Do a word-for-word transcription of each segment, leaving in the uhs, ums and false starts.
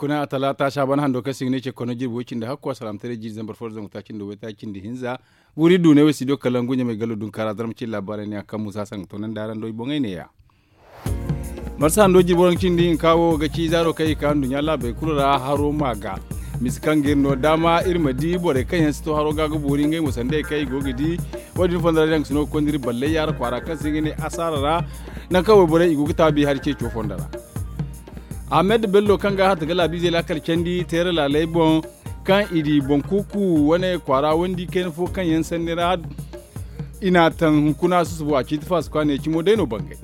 Kuna talaata saaban hando kaŋ se i ga ne ce kono jirbi way cindi hakku a salaamataray jiiri zambar fo da zangu taaci nda waytaaci nda hinza. Buuri du ne way studio kalangu ɲamay gallo dunkaara zarma cine laabaarey ne a kaŋ musa saŋ ga toonandi araŋ do i boŋey neeya. Marsa hando jirbi waranka cindi hinka wo ga ci zaaro kaŋ i ka nduɲɲa laabey kulu ra haro ma ga. Misa kaŋ ga iri no daama iri ma di borey kaŋ yaŋ si to haro ga ga boori ngey mo sanda kaŋ i go ga di. Wo- din fondo ra yaŋ ga si no ga konda iri ballay yaara kwaara kaŋ se i ga ne asaara ra. Nangu kaŋ wayborey i go ga taabi hari ceeco fondo ra. Ahmed bello kaŋ ga hata ga laabiizey laakal candi teera laaley boŋ, kaŋ i di boŋ kuuku wane kwaara wandi kayna fo kaŋ yaŋ sanni ra. I n'a taŋ hunkuna susubo a ciiti faasi kwaaney cimo day no bangay.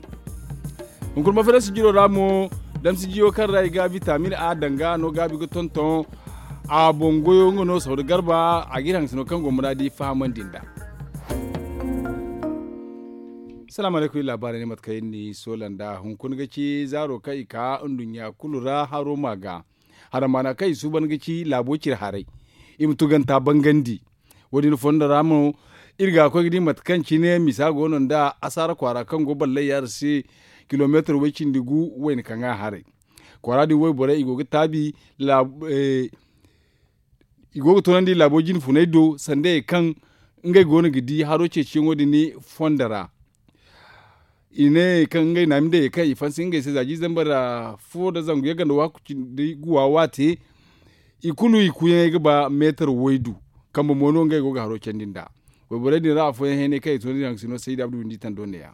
Hunkuna mafarasi jiro ra mo, damsi jiyo kaŋ ra i ga bitamin a danga no gaabi ga tonton. A boŋ goyo nga no sawda garba a ga iri haŋ sino kaŋ go muraadi fahamandi nd'a. Salaamu alaykum iri laabaarey ne mate kaŋ iri ni soola nd'a hunkuna ga ci zaaro kaŋ i ka nduɲɲa kulu ra haro ma ga. Haramaana kaŋ i suuban ga ci laabo cire haray. I ma tuganta bangandi. Wo- din fondo ra mo iri ga koy ga di mate kaŋ cine misa go no nda asaara kwaara kaŋ go ballay yaara se. Kilomeetar way cindi gu wayna kaŋ a haray kwaara din wayborey i go ga taabi. I go ga toonandi laabo jine funey do sanda ye kaŋ ngey go no ga di haro ceeciyaŋo din fondo ra. I ne kaŋ ngey naamindey ye kaŋ i fansi ngey se za jiiri zambar fo nda zangu yagga nda waaku cindi guwa waate. I kulu i kuuyaŋey ga ba meetar waydu. Kambe mo no ngey go ga haro candi nd'a. Wayborey din ra afooyaŋ heenay kaŋ i toonandi haŋ ga si no sayda abdu windi tando neeya.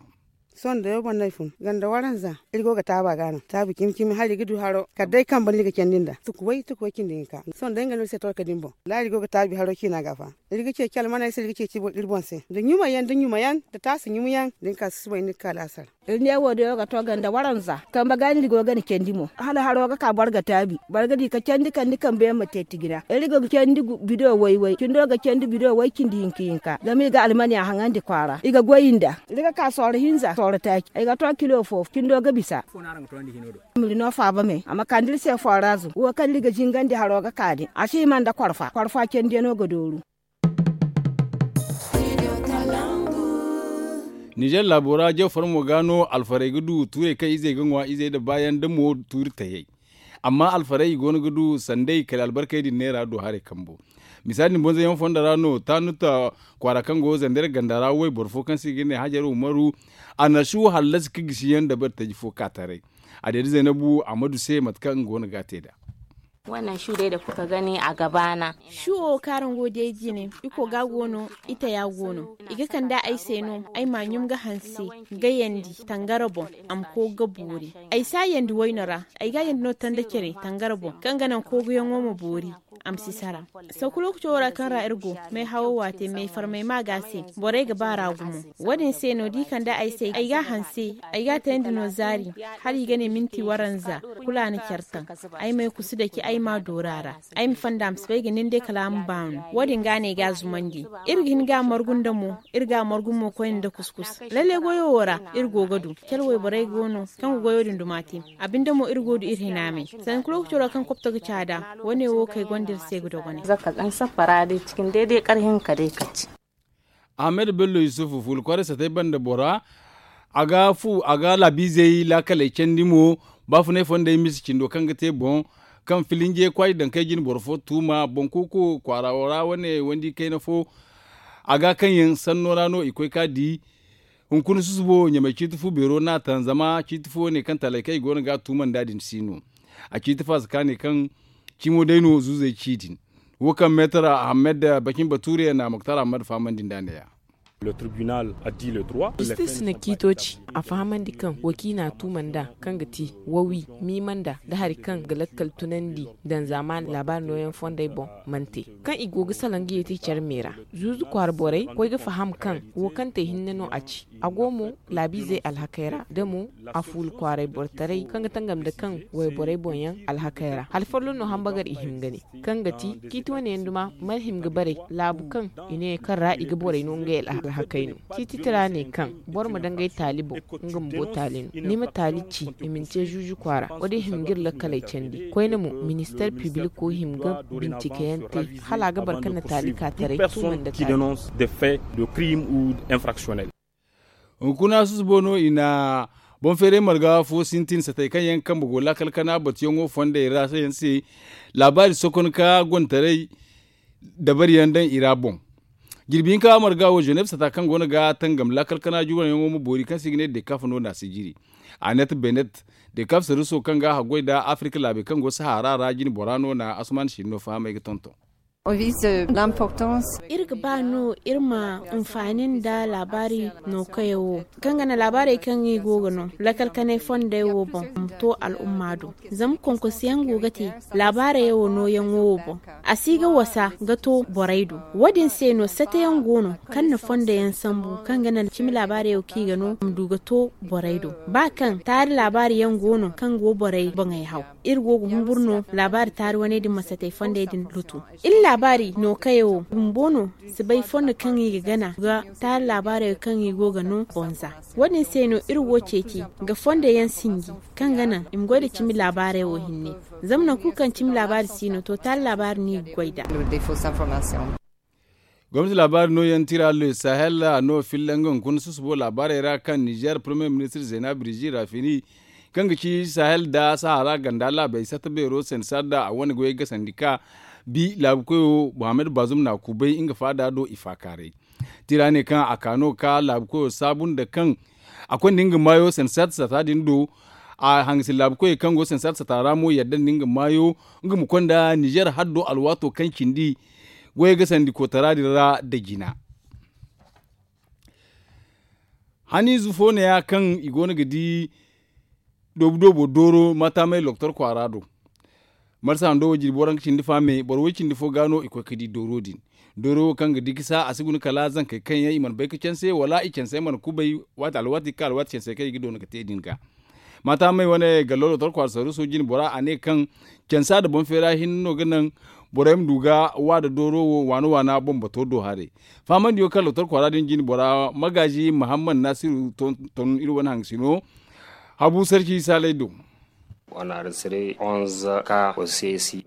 Sohõ da yaw boŋ no ay fun ganda waranza. Iri go ga taabi a ga no taabi cimi cimi hala iri ga du haro kala day kambe no iri ga candi nd'a tuku way tuku way cindi hinka. Sohõ day nga no iri se torka din boŋ wallaahi iri go ga taabi haro ciina ga fa. Iri ga ceeci almaney se iri ga ceeci iri boŋ se nda ɲumayaŋ nda ɲumayaŋ nda taasi ɲumayaŋ da ni ka susubay no iri ga ka laasara. Iri ne wo day wo ga to ganda waranza kambe ga no iri go ga ni candi mo hala haro ga ka boro ga taabi. Boro ga di ka candi kala ni kambe yaŋ ma te tijina iri ga candi bido way way cindo ga candi bido way cindi hinka hinka zama i ga almaniya haŋandi kwaara i ga goy nd'a. Iri ga ka sooro hinza sooro taaci ay ga to kilo fo cindo ga bisa. Iri no faaba me a ma kande iri se foorazu wo kaŋ iri ga zingandi haro ga ka din a si hima nda korfa korfa candiyaŋo ga dooru. Nizer laabo ra jaw farmo ga no alfarey ga du tuurey kaŋ izey ga ŋwa izey nda baayaŋ da mo tuuri tayey. Amma alfarey i go no ga du sanday kala albarkey din neera do haray kambo. Misaali din bonzoyaŋ fondo ra no taanuta kwaara kaŋ go zanday ra ganda ra wayboro fo kaŋ se i ga ne hajar umaru. A na su hallasi ka gisiyaŋ dabari taji fo ka taray. A deeda zaynabu amadu se mate kaŋ nga go no ga a te nd'a. Wannan shu dai da kuka gani a gabana. Shuwo kaŋ araŋ go day jine iko ga go no ita ya go no. I ga kand'a ay se no ay ma ɲum ga hanse ga yandi tangara boŋ. A ma koy ga boori ay si a yandi wayno ra. Ay ga a yandi no tanda care tangara boŋ kaŋ ga naŋ kooguyaŋo ma boori. A ma si sara. Sanku lookaco ra kaŋ ra iri go may hawo waate may farmay ma ga se borey ga baar'a gumo. Wo- din se no da i kand'a ay se ay ga a hanse. Ay ga a tayandi no zaari hala i ga ne minti waranza. Kulu a na care taŋ. Ay m'ay kusu dake ay m'a doora ra. Ay ma fanda a ma si bay ga nin day kala a ma baanu. Wo- din ga no ay ga a zumandi. Iri ga hin ga a margu nda mo. Iri ga a margu mo koyne nda kuskus lalle goyo wo ra iri go ga du care wayborey go no kaŋ ga goyo din duma te. A binde mo iri go du iri hina me. Sanku lookaco ra kaŋ kopto ga caada. Wo- ne wo kay gonda iri se ga dogonay. Ahmed bello yusufu fuula kwaaray satay banda bora. A ga fu a ga laabiizey laakaley candi mo. Baafunay fondey misa cindo kaŋ ga te boŋ kaŋ filinje kwaaji daŋ kay jine boro fo tuuma boŋ kuuku kwaara wo ra wane wandi kayna fo. A ga kaŋ yaŋ sanno ra no i koy ka di. Hunkuna susubo ɲamay ciiti fu beero no a taŋ zama ciiti fu wane kaŋ talay kaŋ i go no ga a tuuma nd'a din si no. A ciiti faasa ka ne kaŋ cimo day no zuuzey ci din. Wo kaŋ meetar ahmed bakin batuure na muktar ahmed fahamandi nd'a neeya. Jistis na ciito ci a fahamandi kaŋ wo kaŋ i n'a tuuma nd'a kaŋ ga ti wawi miima nda nda hari kaŋ ga lakkal tunandi daŋ zaamaani laabaari nooyaŋ fondey boŋ. Mana te kaŋ i go ga salaŋ ga yeeti care me ra. Zuuzu kwaara borey koy ga faham kaŋ wo kaŋ te hinne no a ci. A go mo laabiizey alhakey ra da mo a fuula kwaaray borotaray kaŋ ga tangam nda kaŋ wayborey boŋ yaŋ alhakey ra hala folloŋ no hambagar i hima ga ne kaŋ ga ti ciiti wane yaŋ duma mana hima ga bare laabu kaŋ i ne kaŋ ra i ga borey no ngey alhakey no. Ciiti tira ne kaŋ boro ma dangay taali boŋ nga ma bo taali no ni ma taali ci i ma ni te zuuzu kwaara wo- din hima ga iri lakkaley candi koyne mo ministeer pibiliko hima ga bincikeyaŋ te hala a ga boro kaŋ na taali ka taray tuuma nda taali. Hunkuna susubo no i na Boŋ feeray marga fo sintin satey kaŋ yaŋ kambe go laakal kana batuyaŋo fondey ra yaŋ se. Laabaari sokon ka gontaray dabari yaŋ daŋ i ra boŋ. Jirbi hinka marga wo ženeef sata kaŋ go no ga tangam laakal kana juranyaŋo ma boori kaŋ se i ga ne dekaf no na si jiri. Anet benet dekaf saruso kaŋ ga haggoy nda afirika laabey kaŋ go sahara ra jine bora no na asuman sinno fahamay ga tonton. Iri ga ba no iri ma hinfaani nda laabaari nookayaŋ wo kaŋ ga naŋ laabaarey kaŋ i go ga no lakkal kanay fondey wo boŋ ma to al'umma do. Zama konkosi yaŋ go ga te laabaarey wo nooyaŋo wo boŋ. A si ga wasa ga to borey do. Wo- din se no sate yaŋ go no kaŋ na fondo yaŋ sambu kaŋ ga naŋ cimi laabaarey wo kaŋ i ga no ma du ga to borey do. Ba kaŋ taari laabaari yaŋ go no kaŋ go borey boŋey haw, iri go ga humburu no laabaari taari waney din ma satey fondey din lutu. Iri laabaari nookayaŋ wo bumbo no si bay fondo kaŋ i ga gana ga taari laabaarey kaŋ i go ga no boŋ za. Wo- din se no iri go ceeci ga fondo yaŋ sinji kaŋ ga naŋ i ma goy nda cimi laabaarey wo hinne. Zama nangu kulu kaŋ cimi laabaari si no to taari laabaari no i ga goy nd'a. Gomnati laabaari nooyaŋ tira le sahel a no filla nga hunkuna susubo laabaarey ra kaŋ nizer premier ministir zena birji rafini kaŋ ga ci sahel nda sahara ganda laabey sata beero sensar da a wane goyey gasandi ka bi laabu koyo muhammad bazum na kubay nga faada do i faakaaray. Tira ne kaŋ a ka no ka laabu koyo saabu nda kaŋ a konda nga maayo sensar sata din do. A hangasin laabu koyey kaŋ go sensar sata ra mo yadda nda nga maayo nga ma konda nizer haddo alwaato kaŋ cindi goyey gasandi kootara din ra nda jina. Haniize fo neeya kaŋ i go no ga di doobu doobo dooro maataamay loktor kwaara do. Marsa hando wo jirbi waranka cindi faame boro way cindi fo ga no i koy ga di dooro din. Dooro wo kaŋ ga di ga sa a si guna kala zankey kaŋ yaŋ i mana bay ga canse wala i canse mana kubay waati alwaati ga ka alwaati cansey kaŋ i ga doona ga te din ga. Maataamay wane gallo loktor kwaara saruuso jine bora a ne kaŋ cansa nda boŋ feera hinne no ga naŋ borey ma du ga wa nda dooro wo waana waana bambato do haray. Faamandiyo kaŋ loktor kwaara din jine bora magaazi mahammad naasiru ton iri wane hangasino habu sarci saalay do.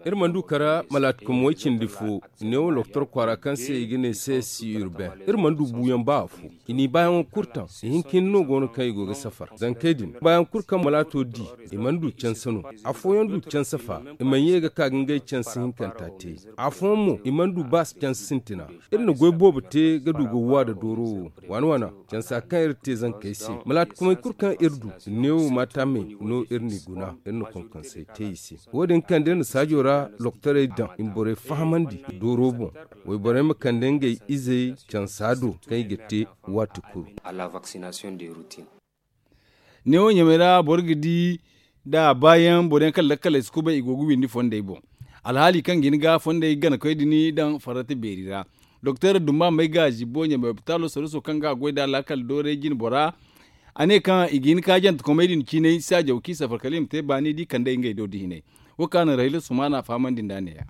Iri mana du kara malaatikom way cindi fo. Neewo loktor kwaara kaŋ se i ga ne se si urbain iri mana du buuyaŋ ba afo. I n'i baayaŋo kulu taŋ. Ihinka hinne no go no kaŋ i go ga safar zankey din baayaŋ kulu kaŋ malaato di i mana du canse no. Afooyaŋ du canse fa i mana ye ga ka ga ngey canse hinkanta te. Afooyaŋ mo i mana du ba canse sintina. Iri na goy boobo te ga du ga wa nda dooro wo waana waana cansa kaŋ iri te zankey se malaatikomey kulu kaŋ iri du. Neewo maataamey no iri n'i guna iri na konkansey te i se. Wo- din kande iri na saajo ra loktorey daŋ i ma borey fahamandi dooro boŋ. Wayborey ma kande ngey izey cansa do kaŋ i ga te waati kulu. Neewo ɲamey ra boro ga di da baayaŋ boro yaŋ kaŋ lakkaley si kubay i go ga windi fondey boŋ. Alhaali kaŋ ga hin ga fondey ganakoy din daŋ farrata beeri ra. Doktor dumba may ga zibbo ɲamey opitaalo saruuso kaŋ ga a goy nd'a laakal dooray jine bora. A ne kaŋ i ga hin ka jantekomey din ciinay saajaw kaŋ i safar kala i ma te baani da i kand'ey ngey do da hinay. Wo kaŋ a na rahila sumaana fahamandi nd'a neeya.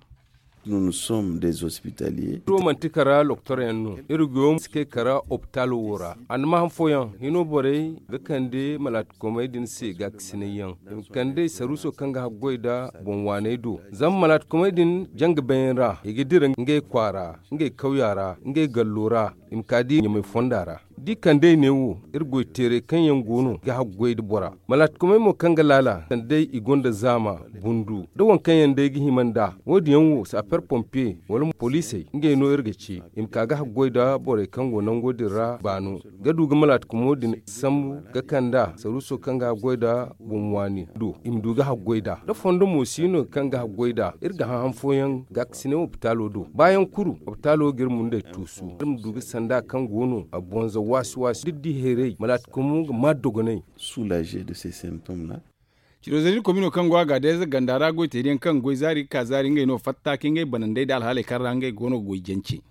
Iri wo manti kara loktor yaŋ no. Iri goyo ma si kay kara opitaalo wo ra. A na maham fooyaŋ hino borey ga kande malaatikomey din se gaakasinay yaŋ i ma kand'ey saruuso kaŋ ga haggoy nda boŋ waaney do. Zama malaatikomey din janga bayyaŋ ra i ga dira ngey kwaara, ngey kawya ra, ngey gallo ra, i ma ka di ɲamay fonda ra. Da i kand'ey neewo iri goy teeray kaŋ yaŋ go no ga haggoy nda bora. Malaatikomey mo kaŋ ga laala kand'ey i gonda zaama bundu nda waŋ kaŋ yaŋ day ga hima nd'a. Wo- din yaŋ wo saaper pompiye wala mo poliisey ngey no iri ga ci i ma ka ga haggoy nda borey kaŋ go nango din ra baano ga du ga malaatikumo din sambu ga kand'a saruuso kaŋ ga haggoy nda boŋ waani do i ma du ga haggoy nd'a da fondo mo si no kaŋ ga haggoy nd'a iri ga hãhã fooyaŋ gaakasinay opitaalo do baayaŋ kuru opitaalo ga iri mundey tuusu iri ma du ga sanda kaŋ go no a bonza waasi waasi da di hayray malaatikumo ga maa dogonay. Sulaze de se sentom ra. Ciro zari komino kaŋ go a ga day za ganda ra goy teeri yaŋ kaŋ goy zaari ga ka zaari ngey no fatta ka ngey banandey nda alhaaley kaŋ ra ngey go no ga goy jance.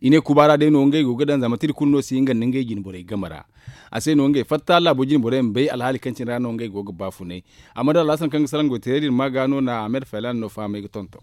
I ne kubaara day no ngey go ga daŋ zama tira kulu no si hinga nda ngey jine borey game ra. A se no ngey fatta laabo jine borey ma bay alhaali kaŋ cine ra no ngey go ga baafunay. Amma da alhasan kaŋ ga salaŋ goy teeri din ma ga no na ahmed faylan no fahamay ga tonton.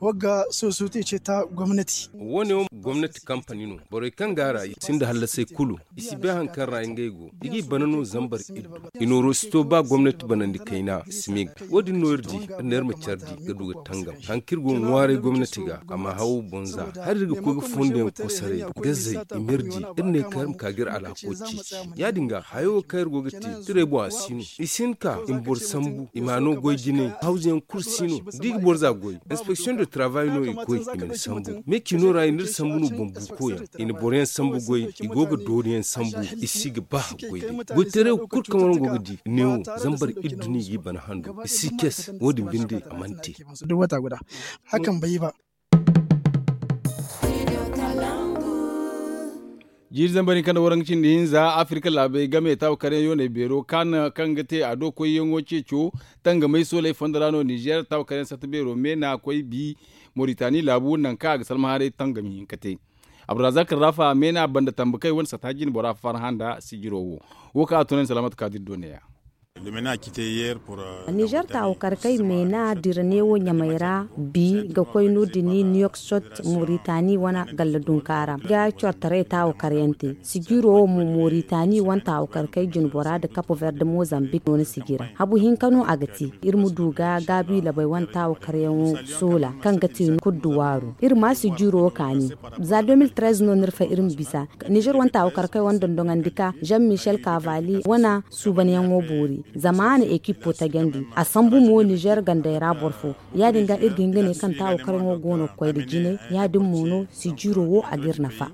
Wagga sosiyete ce ta gomnati. Wo- ne wo gomnati kampani no. Borey kaŋ go a ra i sinda hallasey kulu. I si bay hari kaŋ ra ngey go. I g'i bana no zambar iddu. I nooro si to ba gomnati banandi kayna i si me ga. Wo- din no iri di iri ne iri ma care di ga du ga tangam hari kaŋ iri go ga ŋwaaray gomnati ga a ma haw bonza. Hari iri ga koy ga fondo yaŋ kosoray, gazey, i ma iri di. Iri ne kaŋ iri ma ka ga iri alhako ceeci. Ya- din ga hayo kaŋ iri go ga te, tirey boŋ a si no. I si hin ka i ma boro sambu, i ma no goy jinay. Hawzu yaŋ kulu si no. Da i ga boro za goy, inspeksiyoŋ de tarabay no i ga koy i ma ni sambu. Me cino ra i na iri sambu no bumbu koyaŋ. I na boro yaŋ sambu goy. I go ga doori yaŋ sambu. I si ga ba goy day. Goytaray wo kulu kaŋ waraŋ go ga di, ne wo zambar iddu no i g'i bana hando. I si kes. Wo- din binde a mana te. Hakan bay ba. Jiiri zambar hinka nda waranka cindi hinza afirka laabey game taawa karyaŋ yooney beero kaŋ ga te a do koyyaŋo ceeco tangamay sooley fondo ra no nizer taawa karyaŋ satta beero me na koy bi. Moritani laabu nangu kaŋ a ga salma haray tangami hinka te. Abdurazak rafa me na banda tambakey wane satta jinbora farhã nda sijiro wo. Wo kaŋ a tunandi salamat kaadir do ne- ya. Nizer taawakarkey meena dira neewo ɲamey ra bi ga koy no- din niyok sot, moritani wane galla dunka ra ga cortaray taawakaryaŋ te. Sijiro wo mo moritani wane taawakarkey jinbora nda kapo verde mozambik no ni sijira habu hinka no a ga te. Iri ma du ga gaabi labey wane taawakaryaŋo soola kaŋ ga te kuddu waaro iri ma sijiro wo kaani. Za deux mille treize no ni iri fay iri ma bisa. Nizer wane taawakarkey wane dondoŋandi ka jean michel kavali wane suubanyaŋo boori. Zama a na ekipo tajandi a sambu mo nizer gandey ra boro fo. Ya- din ga iri ga hin ga ne kaŋ taawakaryaŋo go no ga koy nda jinay. Ya- din mo no sijiro wo a ga iri nafa.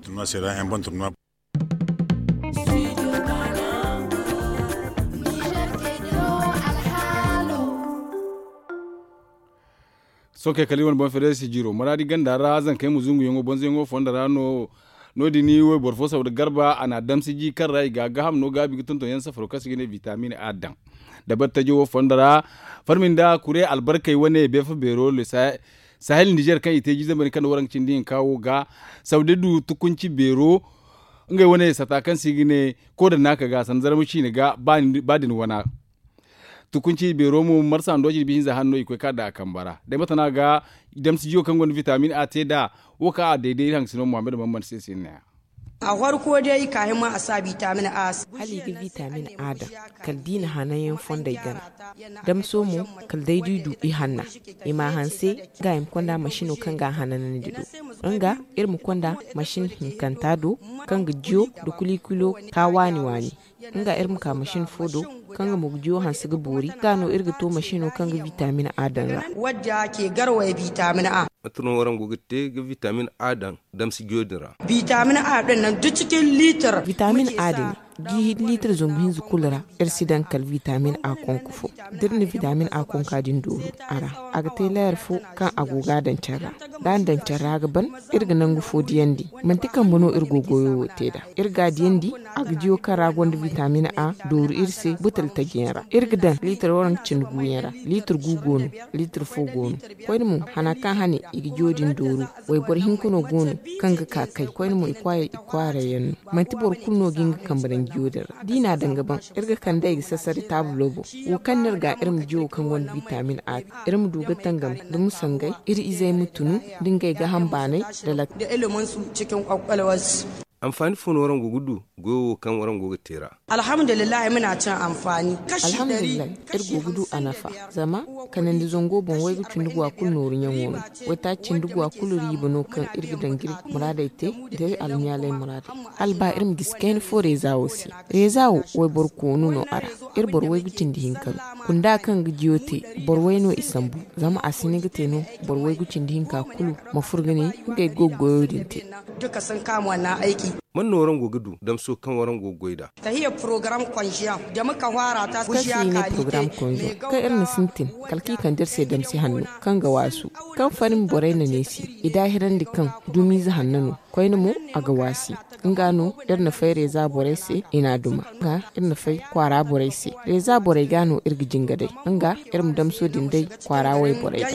Sohõ kay kala iri wane boŋ fereesi jiiro maraadi ganda ra zankey ma zunguyaŋo bonzoyaŋo fondo ra no. No- din wayboro fo saw nda garba a na a damsiji kaŋ ra i ga a gaham no gaabi ga tonton yaŋ safaro kaŋ se i ga ne bitamin a daŋ. Dabari tajo wo fondo ra farmi nda kure albarkey wane beefa beero le sahel nizer kaŋ i te jiizambari kaŋ na waraŋ cindi hinka wo ga saw day du tukunci beero. Ngey wane sata kaŋ se i ga ne koodanda ka ga sanda zarma ciine ga ba din wana. Tukunci beero mo marsa ndo jirbi hinza hanno i koy ka da a kamba ra day mate no a ga damsijiyo kaŋ gonda vitamin a te nd'a. Wo kaŋ a dayday iri haŋ sino muhammad muhammad se sinna ya. A farko day kaahin ma a sa vitamin a se. Hala i ga vitamin a daŋ kala da i na hananyaŋ fondey gana. Damso mo kala day da i du i hanna i ma a hanse. Nga i ma konda masino kaŋ ga a hananandi do nga iri ma konda masin hinkanta do kaŋ ga jiyo nda kuliikulo ka waani waani. Nga iri ma ka masin fo do kaŋ ga mo ga jiyo hanse ga boori ga no iri ga to masino kaŋ ga vitamin a daŋ ra. Wadda ke garway vitamin a. Mate no waraŋ go ga te ga vitamin a daŋ damsi jiyo din ra. Vitamin a din nan duk cikin litir. Vitamin a din jiihi litir zumbu hinza kulu ra. Iri si daŋ kala vitamin a konko fo da iri na vitamin a konka din dooru a ra. A ga te leer fo kaŋ a go ga a daŋ care ra da a na daŋ care ra a ga ban. Iri ga nangu fo diyandi manti kambe no iri go goyo wo te nd'a. Iri ga a diyandi a ga diyo kaŋ ra gonda vitamin a dooru iri se butal taji yaŋ ra iri ga daŋ liitar waranka cindi gu yaŋ ra. Liitar gu go no. Liitar fo go no. Koyne mo hana kaŋ hane i ga diyo din dooru. Wayboro hinka no go no kaŋ ga ka kay koyne mo i kwaarey yaŋ no. Manti boro kulu no ga nga kambe daŋ jiyo din ra da i n'a daŋ ga ban. Iri ga kande i ga sasari taabulo boŋ. Wo kaŋ no iri ga iri ma jiyo kaŋ gonda vitamin a. Iri ma du ga tangam da musangay iri izey ma tunu da ngey ga hambaanay da lakkal. Anfaani fo no waraŋ go ga du goyo wo kaŋ waraŋ go ga te ra? Alhamdulillahi muna cin anfaani. Alhamdulillahi iri go ga du a nafa. Zama kanandi zango boŋ waygu cindi guwa kulu nooru ɲaŋo no. Waytaaci cindi guwa kulu riiba no kaŋ iri ga daŋ ga iri muraadey te da iri almiyaaley muraadey. Hala ba iri ma gisi kayna fo reeza wo se. Reeza wo wayboro koonu no a ra. Iri boro waygu cindi hinka no. Kunda kaŋ ga jiyo te boro way no i sambu. Zama a si hin ga te no boro waygu cindi hinka kulu ma furo ga ne ngey go ga goyo din te. Mate no waraŋ go ga du damso kaŋ waraŋ go ga goy nd'a? Kaŋ se i ne porogaram konzo kaŋ iri na sintin kala kaŋ i kande iri se damsi hanno kaŋ ga waasu kaŋ farmi borey na neesi i daahirandi kaŋ dumiize hanno no. Koyne mo a ga waasi. Nga no iri na fay reeza borey se i n'a duma. Nga iri na fay kwaara borey se reeza borey ga no iri ga jinga day. Nga iri ma damso din day kwaara wayborey ga.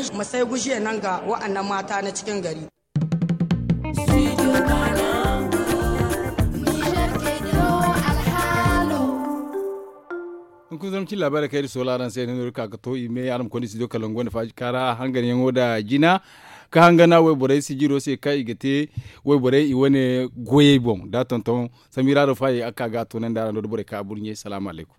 Hunkuna zama cin laabaarey kaŋ iri soola araŋ se iri no iri ka ga to i me araŋ ma konda studio kalangu wanda faaji kaara hanganyaŋo nda jina. ka hangana wayborey sijiro se kaŋ i ga te wayborey i wane goyey boŋ da tonton samira do faayi a ga ka ga a toonandi araŋ do da borey kaŋ a burɲe salaamu alaykum.